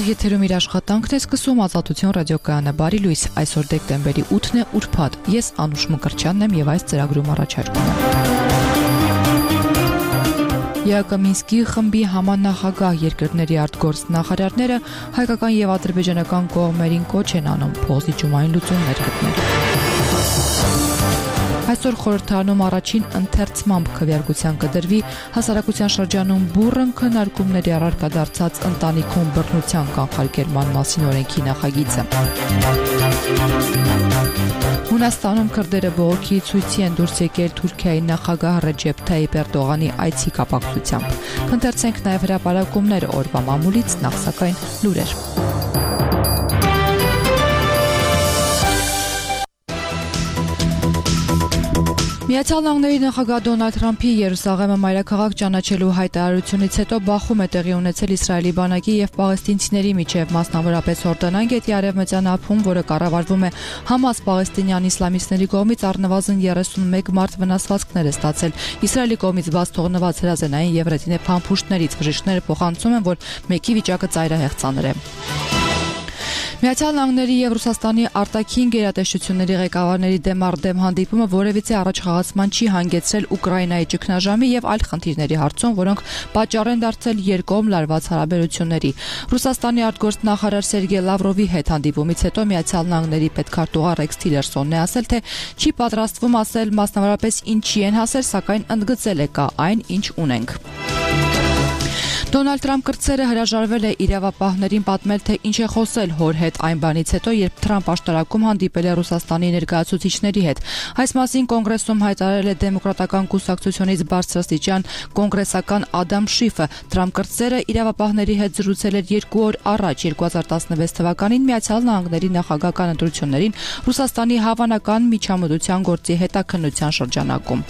Եթերում իր աշխատանքն է սկսում Ազատություն ռադիոկայանը։ Բարի լույս, այսօր դեկտեմբերի 8-ն է, ուրբաթ։ Ես Անուշ Մկրտչյանն եմ եւ այս ծրագրում առաջարկում եմ։ ԵԱԿ Մինսկի խմբի համանախագահ երկրների արտգործնախարարները հայկական եւ ադրբեջանական կողմերին կոչ են անում փոխզիջումային լուծումներ գտնել։ Այսօր խորհրդարանում առաջին ընթերցմամբ քվեարկության կդրվի հասարակության շրջանում բուռն քննարկումների առարկա դարձած ընտանիքում բռնության կանխարգելման մասին օրենքի նախագիծը։ Հունաստանում քրդերը բողոքի ցույցի են դուրս եկել Թուրքիայի նախագահ Ռեջեփ Թայիփ Էրդողանի այցի կապակցությամբ։ Կընթերցենք նաև հրապարակումներ օրվա մամուլից, նախ սակայն լուրեր։ Միացյալ Նահանգների նախագահ Դոնալդ Թրամփի Երուսաղեմը մայրաքաղաք ճանաչելու հայտարարությունից հետո Բախում է տեղի ունեցել Իսրայելի բանակի եւ պաղեստինցիների միջև, մասնավորապես Հորդանան գետի արևմտյան ափում, որը կառավարվում է Համաս պաղեստինյան իսլամիստների կողմից, առնվազն 31 մարդ վնասվածքներ է ստացել։ Իսրայելի կողմից բաց թողնված հրազենային եւ ռետինե փամփուշտներից բժիշկները փոխանցում են, որ մեկի վիճակը ծայրահեղ ծանր է։ Միացյալ Նահանգների եւ Ռուսաստանի արտաքին գերատեսչությունների ղեկավարների դեմ առ դեմ հանդիպումը որևիցե առաջխաղացման չի հանգեցրել Ուկրաինայի ճգնաժամի եւ այլ խնդիրների հարցում, որոնք պատճառ են դարձել երկկողմ լարված հարաբերությունների։ Ռուսաստանի արտգործնախարար Սերգեյ Լավրովի հետ հանդիպումից հետո Միացյալ Նահանգների պետքարտուղար Ռեքս Թիլերսոնն է ասել, թե չի պատրաստվում ասել մասնավորապես ինչի են հասել, սակայն ընդգծել է կա այն, ինչ ունենք։ Դոնալդ Թրամփ կրտսերը հրաժարվել է իրավապահներին պատմել, թե ինչ է խոսել հոր հետ այն բանից հետո, երբ Թրամփ աշտարակում հանդիպել է Ռուսաստանի ներկայացուցիչների հետ։ Այս մասին կոնգրեսում հայտարարել է դեմոկրատական կուսակցությունից բարձրաստիճան կոնգրեսական Ադամ Շիֆը։ Թրամփ կրտսերը իրավապահների հետ զրուցել էր 2 օր առաջ, 2016 թվականին Միացյալ Նահանգների նախագահական ընտրություններին Ռուսաստանի հավանական միջամտության գործի հետաքննության շրջանակում։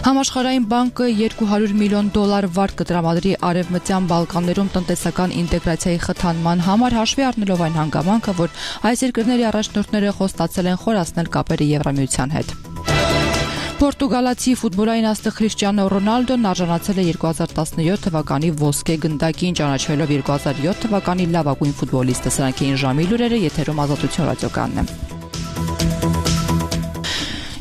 Համաշխարհային բանկը $200 միլիոն վարկ կտրամադրի Արևմտյան Բալկաններում տնտեսական ինտեգրացիայի խթանման համար, հաշվի առնելով այն հանգամանքը, որ այս երկրների առաջնորդները խոստացել են խորացնել կապերը Եվրամիության հետ։ Պորտուգալացի ֆուտբոլային աստղ Քրիշտիանո Ռոնալդոն արժանացել է 2017 թվականի ոսկե գնդակին, ճանաչվելով 2007 թվականի լավագույն ֆուտբոլիստը։ Սրանք էին ժամի լուրերը, եթերում Ազատություն ռադիոկայանն է։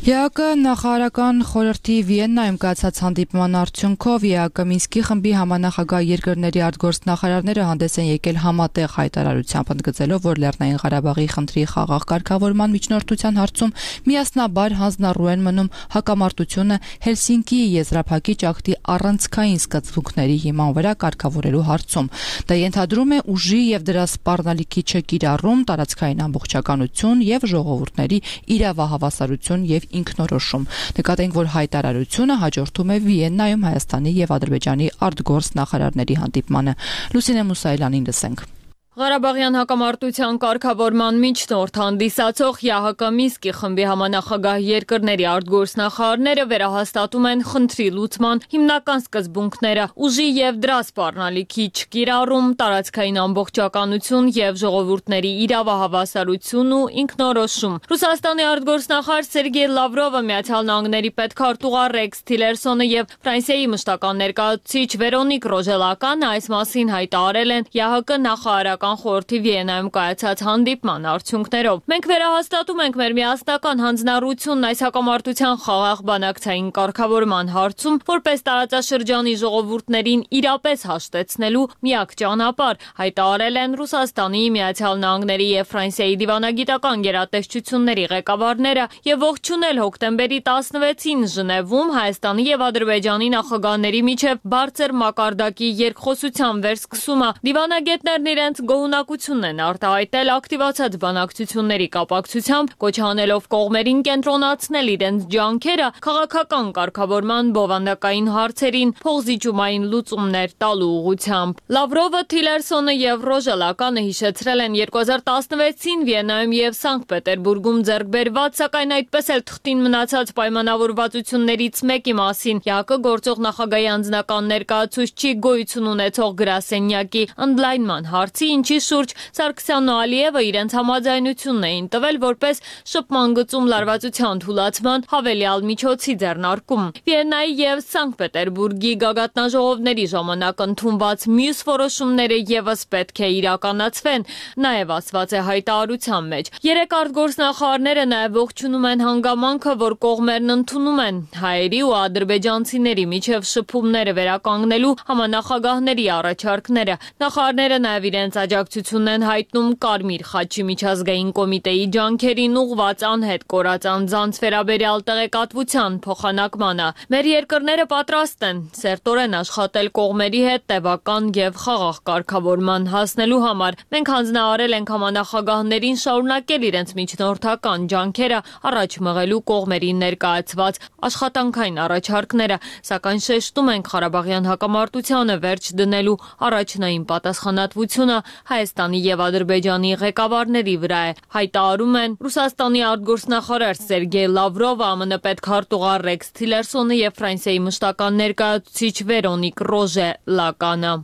ԵԱԿ նախարարական խորհրդի Վիեննայում կայացած հանդիպման արդյունքով ԵԱԿ Մինսկի խմբի համանախագահ երկրների արտգործնախարարները հանդես են եկել համատեղ հայտարարությամբ, ընդգծելով, որ Լեռնային Ղարաբաղի խնդրի խաղաղ կարգավորման միջնորդության հարցում միասնաբար հանձնառու են մնում հակամարտությունը Հելսինկիի եզրափակիչ ակտի առանցքային սկզբունքների հիման վրա կարգավորելու հարցում։ Դա ենթադրում է ուժի եւ դրա սպառնալիքի չկիրառում, տարածքային ամբողջականություն եւ ժողովուրդների իրավահավասարություն եւ ինքնորոշում։ Նկատենք, որ հայտարարությունը հաջորդում է Վիեննայում Հայաստանի եւ Ադրբեջանի արտգործնախարարների հանդիպմանը։ Լուսինե Մուսայելյանին լսենք։ Ղարաբաղյան հակամարտության կարգավորման միջնորդ հանդիսացող ԵԱՀԿ Մինսկի խմբի համանախագահ երկրների արտգործնախարարները վերահաստատում են խնդրի լուծման հիմնական սկզբունքները՝ ուժի եւ դրա սպառնալիքի չկիրառում, տարածքային ամբողջականություն եւ ժողովուրդների իրավահավասարություն ու ինքնորոշում։ Ռուսաստանի արտգործնախարար Սերգեյ Լավրովը, Միացյալ Նահանգների պետքարտուղար Ռեքս Թիլերսոնը եւ Ֆրանսիայի մշտական ներկայացուցիչ Վերոնիկ Ռոժելականը այս մասին հայտարարել են ԵԱՀԿ նախարարական խորհրդի Վիեննայում կայացած հանդիպման արդյունքներով։ Մենք վերահաստատում ենք մեր միասնական հանձնառությունն այս հակամարտության խաղաղ բանակցային կարգավորման հարցում, որպես տարածաշրջանի ժողովուրդներին իրապես հաշտեցնելու միակ ճանապարհ, հայտարարել են Ռուսաստանի, Միացյալ Նահանգների եւ Ֆրանսիայի դիվանագիտական գերատեսչությունների ղեկավարները եւ ողջունել հոկտեմբերի 16-ին Ժնևում Հայաստանի եւ Ադրբեջանի նախագահների միջև բարձր մակարդակի երկխոսության վերսկսումը։ Դիվանագետներն իրենց գոհունակությունն են արտահայտել ակտիվացած բանակցությունների կապակցությամբ, կոչ անելով կողմերին կենտրոնացնել իրենց ջանքերը քաղաքական կարգավորման բովանդակային հարցերին փոխզիջումային լուծումներ տալու ուղղությամբ։ Լավրովը, Թիլերսոնը եւ Ռոժելականը հիշեցրել են 2016-ին Վիեննայում եւ Սանկտ Պետերբուրգում ձեռք բերված, սակայն այդպես էլ թղթին մնացած պայմանավորվածություններից մեկի մասին ԵԱՀԿ գործող նախագահի անձնական ներկայացուցչի գոյություն ունեցող գրասենյակի ընդլայնման հարցի, ինչի շուրջ Սարգսյանն ու Ալիևը իրենց համաձայնությունն էին տվել որպես շփման գծում լարվածության թուլացման հավելյալ միջոցի ձեռնարկում։ Վիեննայի եւ Սանկտ Պետերբուրգի գագաթնաժողովների ժամանակ ընդունված մյուս որոշումները եւս պետք է իրականացվեն, նաեւ ասված է հայտարարության մեջ։ Երեք արտգործնախարարները նաեւ ողջունում են հանգամանքը, որ կողմերն ընդունում են հայերի ու ադրբեջանցիների միջև շփումները վերականգնելու համանախագահների առաջարկները։ Նախարարները նաև իրենց աջակցությունն են հայտնում Կարմիր խաչի միջազգային կոմիտեի ջանքերին ուղղված անհետ կորած անձանց վերաբերյալ տեղեկատվության փոխանակմանը։ Մեր երկրները պատրաստ են սերտորեն աշխատել կողմերի հետ տևական եւ խաղաղ կարգավորման հասնելու համար։ Մենք հանձնարարել ենք համանախագահներին շարունակել իրենց միջնորդական ջանքերը առաջ մղելու կողմերին ներկայացված աշխատանքային առաջարկները, սակայն շեշտում ենք Ղարաբաղյան հակամարտությանը վերջ դնելու առաջնային պատասխանատվությունը Հայաստանի եւ Ադրբեջանի ղեկավարների վրա է, հայտարարում են Ռուսաստանի արտգործնախարար Սերգեյ Լավրովը, ԱՄՆ պետքարտուղար Ռեքս Թիլերսոնը եւ Ֆրանսիայի մշտական ներկայացուցիչ Վերոնիկ Ռոժե Լականը։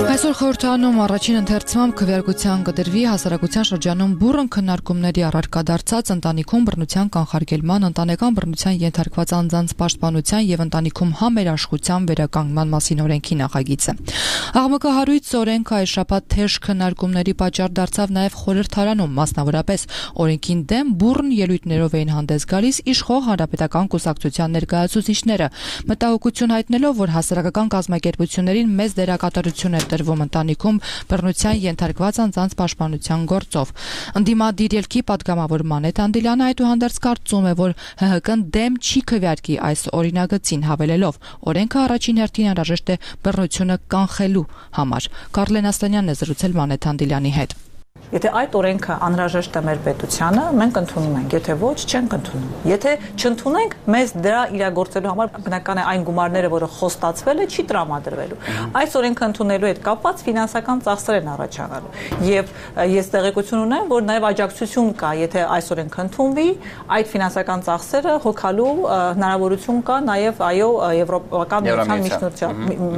Այսօր խորհրդանում առաջին ընթերցմամբ քվեարկության կդրվի հասարակության շրջանում բուռն քննարկումների առարկա դարձած ընտանիքում բռնության կանխարգելման, ընտանեկան բռնության ենթարկված անձանց պաշտպանության եւ ընտանիքում համերաշխության վերականգնման մասին օրենքի նախագիծը։ Աղմկահարույց օրենքը այս շաբաթ թեժ քննարկումների պատճառ դարձավ նաեւ խորհրդարանում, մասնավորապես օրենքին դեմ բուռն ելույթներով էին հանդես գալիս իշխող հանրապետական կուսակցության ներկայացուցիչները, մտահոգություն հայտնելով, որ հասարակական կազմակերպություններին մեծ դերակատարություն է տրվում ընտանիքում բռնության ենթարկված անձանց պաշտպանության գործով։ Ընդդիմադիր ելքի պատգամավոր Մանեթ Անդիլյանը այդուհանդերձ կարծում է, որ ՀՀԿ-ն դեմ չի քվեարկի այս օրինագծին, հավելելով, օրենքը առաջին հերթին անհրաժեշտ է բռնությունը կանխելու համար։ Կարլեն Աստանյանն է զրուցել Մանեթ Անդիլյանի հետ։ Եթե այդ օրենքը անհրաժեշտ է մեր պետությանը, մենք ընդունում ենք, եթե ոչ, չենք ընդունում։ Եթե չընդունենք, մեզ դրա իրագործելու համար բնական է այն գումարները, որը խոստացվել է, չի տրամադրվելու։ Այս օրենքը ընդունելու հետ կապված ֆինանսական ծախսեր են առաջանալու։ Եվ ես տեղեկություն ունեմ, որ նաև աջակցություն կա, եթե այս օրենքը ընդունվի, այդ ֆինանսական ծախսերը հոգալու հնարավորություն կա նաև այո եվրոպական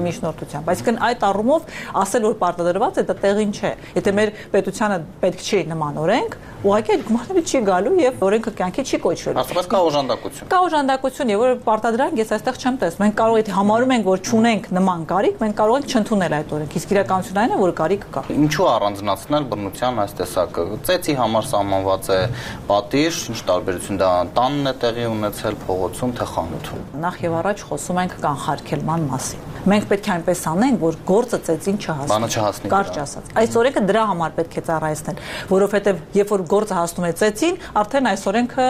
միջնորդությամբ։ Այսինքն այդ առումով ասել, որ պարտադրված է, դա տեղին չէ։ Եթե մեր պետությանը պետք չի նման օրենք, ուղղակի այդ գումարները չի գալու եւ օրենքը կյանքի չի կոչվելու։ Ասած կա օժանդակություն։ Կա օժանդակություն եւ որ պարտադրանք ես այստեղ չեմ տեսնում։ Մենք կարող ենք համարում ենք, որ չունենք նման կարիք, մենք կարող ենք չընդունել այդ օրենքը։ Իսկ իրականությունն այն է, որ կարիք կա։ Ինչու առանձնացնել բռնության այս տեսակը։ Ծեծի համար սահմանված է պատիժ, ինչ տարբերություն դա տանն է տեղի ունեցել փողոցում թե խանութում։ Նախ եւ առաջ խոսում ենք կանխարգելման մասին։ Մենք պետք է այնպես անենք, որ գործը ծեծին չհասնի։ Բանը չհասնի։ Կարճ ասած։ Այս օրենքը դրա համար պետք է ծառայեցնել, որովհետեւ երբ որ գործը հասնում է ծեծին, արդեն այս օրենքը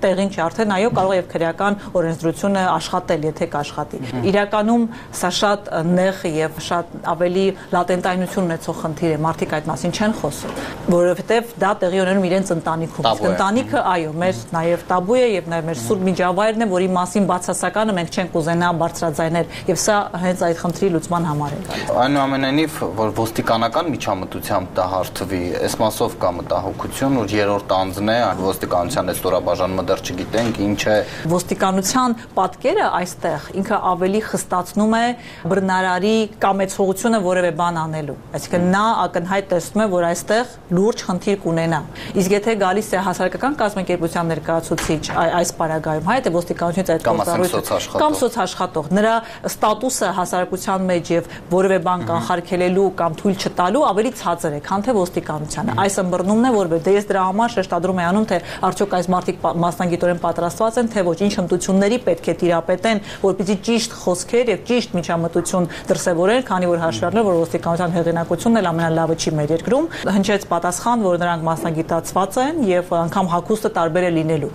տեղին չի, արդեն այո կարող է եւ քրեական օրենսդրությունը աշխատել, եթե կաշխատի։ Իրականում սա շատ նեղ եւ շատ ավելի լատենտայնություն ունեցող խնդիր է, մարդիկ այդ մասին չեն խոսում, որովհետեւ դա տեղի ունենում իրենց ընտանիքում։ Ընտանիքը այո, մեր նաեւ տաբու է եւ նաեւ մեր սուրբ միջավայրն է, որի մասին բացասականը մենք չենք կուզենա բարձրաձայնել եւ սա հենց այդ խնդրի լուծման համար է գալիս։ Այնուամենայնիվ, որ ոստիկանական միջամտությամբ դա հարթվի, այս մասով կա մտահոգություն, որ երրորդ անձն է, ոստիկանության այս ստորաբաժանումը դեռ չգիտենք ինչ է։ Ոստիկանության պատկերը այստեղ ինքը ավելի խստացնում է բռնարարի կամեցողությունը որևէ բան անելու։ Այսինքն նա ակնհայտ տեսնում է, որ այստեղ լուրջ խնդիր կունենա։ Իսկ եթե գալիս է հասարակական կազմակերպության ներկայացուցիչ այս պարագայում, հայ թե ոստիկանությունից այդ գործառույթը կամ սոցաշխատող, նրա ստատուսը հասարակության մեջ եւ որևէ բան կանխարգելելու կամ թույլ չտալու ավելի ցածր է, քան թե ոստիկանությանը։ Այս ըմբռնումն է, որ դե ես դրա համար շեշտադրում եմ անում, թե արդյոք այս մարդիկ մասնագիտորեն պատրաստված են, թե ոչ, ինչ հմտությունների պետք է տիրապետեն, որպեսզի ճիշտ խոսքեր եւ ճիշտ միջամտություն դրսեւորեն, քանի որ հաշվի առնելով, որ ոստիկանության հեղինակությունն էլ ամենալավը չի մեր երկրում, հնչեց պատասխան, որ նրանք մասնագիտացված են եւ անգամ հագուստը տարբեր է լինելու։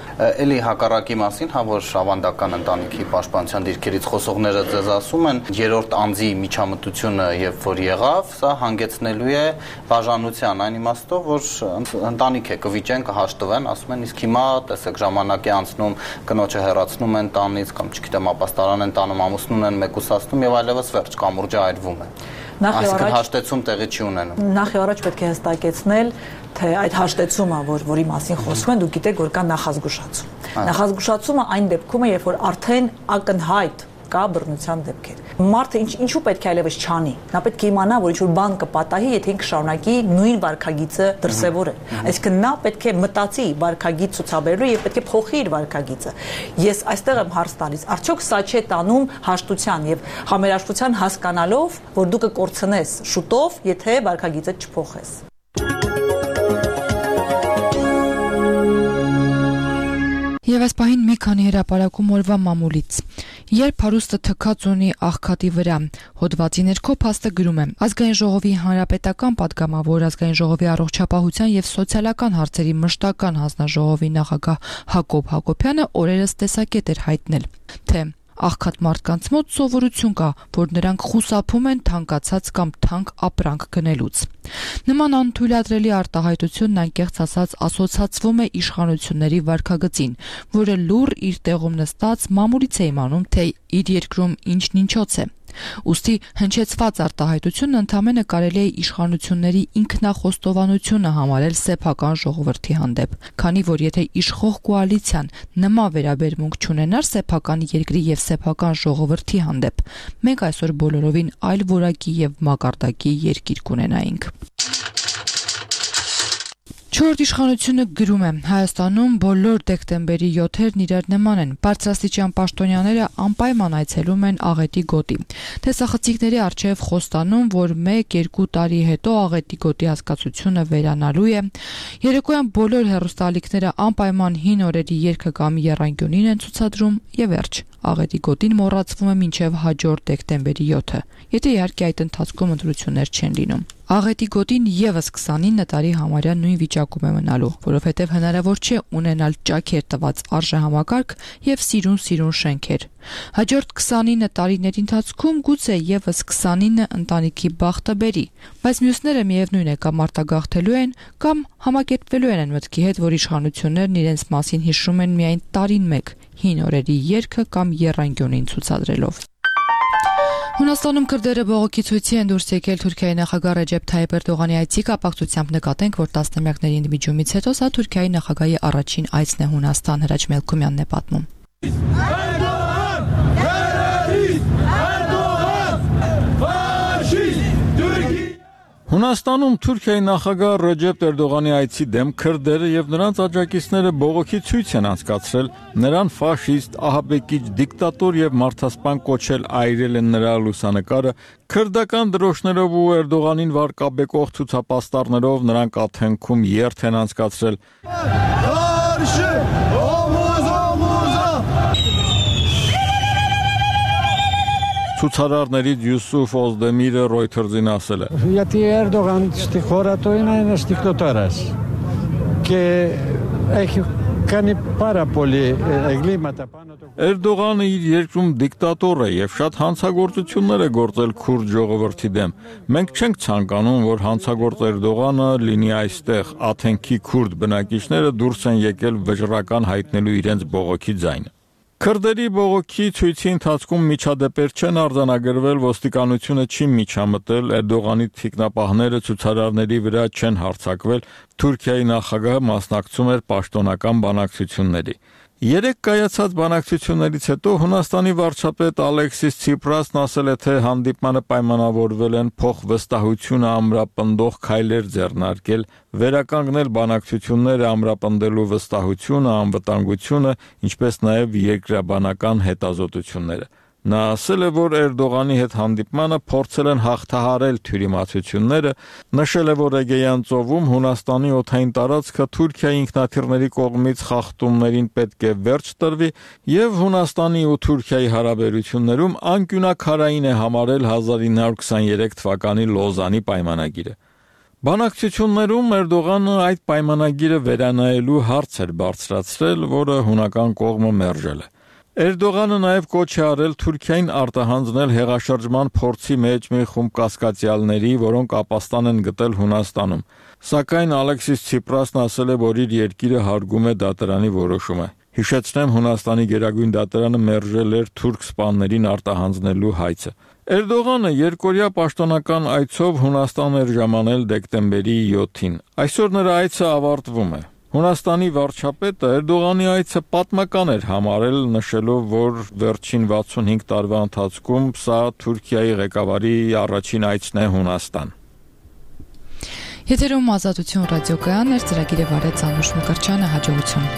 Էլի հակառակի մասին, հա որ ավանդական ընտանիքի պաշտպանության դիրքերից խոսողները ձեզ ասում են, երրորդ անձի միջամտությունը երբ որ եղավ, սա հանգեցնելու է բաժանության, այն իմաստով, որ ընտանիք է կվիճեն, կհաշտվեն, ասում են, իսկ հիմա տեսեք ժամանակ է անցնում, կնոջը հեռացնում են տանից կամ չգիտեմ ապաստարան են տանում, ամուսնուն են մեկուսացնում եւ այլևս վերջ կամուրջը այրվում է։ Այսինքն հաշտեցում տեղի չի ունենում։ Նախ եւ առաջ պետք է հստակեցնել, թե այդ հաշտեցումը, որի մասին խոսում են, դուք գիտեք, որ կա նախազգուշացում։ Նախազգուշացումը այն դեպքում է, երբ որ արդեն ակնհայտ կա բռնության դեպքեր։ Մարդը ինչու պետք է այլևս չանի։ Նա պետք է իմանա, որ ինչ-որ բան կպատահի, եթե ինքը շարունակի նույն վարքագիծը դրսևորել։ Այսինքն նա պետք է մտածի վարքագիծ ցուցաբերելու եւ պետք է փոխի իր վարքագիծը։ Ես այստեղ եմ հարց տալիս, արդյոք սա չէ տանում հաշտության եւ համերաշխության հասկանալով, որ դու կկորցնես շուտով, եթե վարքագիծը չփոխես։ Եվ այս պահին մի քանի հրապարակում օրվա մամուլից։ Երբ հարուստը թքած ունի աղքատի վրա, հոդվածի ներքո փաստը գրում է. Ազգային ժողովի հանրապետական падգամավոր, Ազգային ժողովի առողջապահության եւ սոցիալական հարցերի մշտական հանձնաժողովի նախագահ Հակոբ Հակոբյանը օրերս տեսակետ էր հայտնել, թե աղքատ մարդկանց մոտ սովորություն կա, որ նրանք խուսափում են թանկացած կամ թանկ ապրանք գնելուց։ Նման անթույլատրելի արտահայտությունն անկեղծ ասած ասոցացվում է իշխանությունների վարքագծին, որը լուռ իր տեղում նստած մամուլից է իմանում, թե իր երկրում ինչն ինչոց է։ Ուստի հնչեցված արտահայտությունն ընդամենը կարելի է իշխանությունների ինքնախոստովանությունը համարել սեփական ժողովրդի հանդեպ, քանի որ եթե իշխող կոալիցիան նման վերաբերմունք չունենար սեփական երկրի եւ սեփական ժողովրդի հանդեպ, մենք այսօր բոլորովին այլ որակի եւ մակարդակի երկիր կունենայինք։ Չորրորդ իշխանությունը գրում է. Հայաստանում բոլոր դեկտեմբերի 7-երն իրար նման են։ Բարձրաստիճան պաշտոնյաները անպայման այցելում են աղետի գոտի։ Տեսախցիկների առջև խոստանում, որ 1-2 տարի հետո աղետի գոտի հասկացությունը վերանալու է։ Երեկոյան բոլոր հեռուստաալիքները անպայման հին օրերի երգը կամ եռանկյունին են ցուցադրում եւ վերջ։ Աղետի գոտին մոռացվում է մինչև հաջորդ դեկտեմբերի 7-ը, եթե իհարկե այդ ընթացքում ընտրություններ չեն լինում։ Աղետի գոտին եւս 29 տարի համարյա նույն վիճակում է մնալու, որովհետև հնարավոր չէ ունենալ ճաքեր տված արժեհամակարգ եւ սիրուն շենքեր։ Հաջորդ 29 տարիների ընթացքում գուցե եւս 29 ընտանիքի բախտը բերի, բայց մյուսները միևնույն է կամ արտագաղթելու են կամ համակերպվելու են մտքի հետ, որ իշխանություններն իրենց մասին հիշում են միայն տարին մեկ, հին օրերի երգը կամ եռանկյունին ցուցադրելով։ Հունաստանում քրդերը բողոքի ցույցի են դուրս եկել Թուրքիայի նախագահ Ռեջեփ Թայիփ Էրդողանի այցի կապակցությամբ նկատենք, որ տասնամյակների ընդմիջումից հետո սա Թուրքիայի նախագահի առաջին այցն է Հունաստան, Հրաչ Մելքումյանն է պատմում։ Հունաստանում Թուրքիայի նախագահ Ռեջեփ Էրդողանի այցի դեմ քրդերը եւ նրանց աջակիցները բողոքի ցույց են անցկացրել, նրան ֆաշիստ, ահաբեկիչ, դիկտատոր եւ մարդասպան կոչել այրել են նրա լուսանկարը, քրդական դրոշներով ու Էրդողանին վարկաբեկող ցուցապաստառներով նրանք աթենքում երթ են անցկացրել։ Ցուցարարներից Յուսուֆ Օզդեմիրը Reuters-ին ասել է. Եթե Էրդողան ստիքորատոին այն ստիքտոտարաս, կե քանի պարապոլի էգլիմատապանոտ Էրդողանը իր երկրում դիկտատոր է եւ շատ հանցագործություններ է գործել քուրդ ժողովրդի դեմ։ Մենք չենք ցանկանում, որ հանցագործ Էրդողանը լինի այստեղ, Աթենքի քուրդ բնակիչները դուրս են եկել վճռական հայտնելու իրենց բողոքի ձայնը։ Քրդերի բողոքի ցույցի ընթացքում միջադեպեր չեն արձանագրվել, ոստիկանությունը չի միջամտել, Էրդողանի թիկնապահները ցուցարարների վրա չեն հարձակվել, Թուրքիայի նախագահը մասնակցում էր պաշտոնական բանակցությունների։ Երեք կայացած բանակցություններից հետո Հունաստանի վարչապետ Ալեքսիս Ցիպրասն ասել է, թե հանդիպմանը պայմանավորվել են փոխվստահությունը ամրապնդող քայլեր ձեռնարկել, վերականգնել բանակցությունները ամրապնդելու վստահությունը, անվտանգությունը, ինչպես նաև երկրաբանական հետազոտությունները։ Նա ասել է, որ Էրդողանի հետ հանդիպմանը փորձել են հաղթահարել թյուրիմացությունները, նշել է, որ Էգեյան ծովում Հունաստանի օդային տարածքը Թուրքիայի ինքնաթիռների կողմից խախտումներին պետք է վերջ տրվի եւ Հունաստանի ու Թուրքիայի հարաբերություններում անկյունակարային է համարել 1923 թվականի Լոզանի պայմանագիրը։ Բանակցություններում Էրդողանը այդ պայմանագիրը վերանայելու հարց էր բարձրացրել, որը հունական կողմը մերժել է։ Էրդողանը նաև կոչ է արել Թուրքիային արտահանձնել հեղաշրջման փորձի մեջ մի խումբ կասկածյալների, որոնք ապաստան են գտել Հունաստանում։ Սակայն Ալեքսիս Ցիպրասն ասել է, որ իր երկիրը հարգում է դատարանի որոշումը։ Հիշեցնեմ, Հունաստանի գերագույն դատարանը մերժել էր թուրք սպաներին արտահանձնելու հայցը։ Էրդողանը երկօրյա պաշտոնական այցով Հունաստան էր ժամանել դեկտեմբերի 7-ին։ Այսօր նրա այցը ավարտվում է։ Հունաստանի վարչապետը Էրդողանի այցը պատմական էր համարել, նշելով, որ վերջին 65 տարվա ընթացքում սա Թուրքիայի ղեկավարի առաջին այցն է Հունաստան։ Եթերում Ազատություն ռադիոկայանն էր, ծրագիրը վարեց Անուշ Մկրտչյանը, հաջողություն։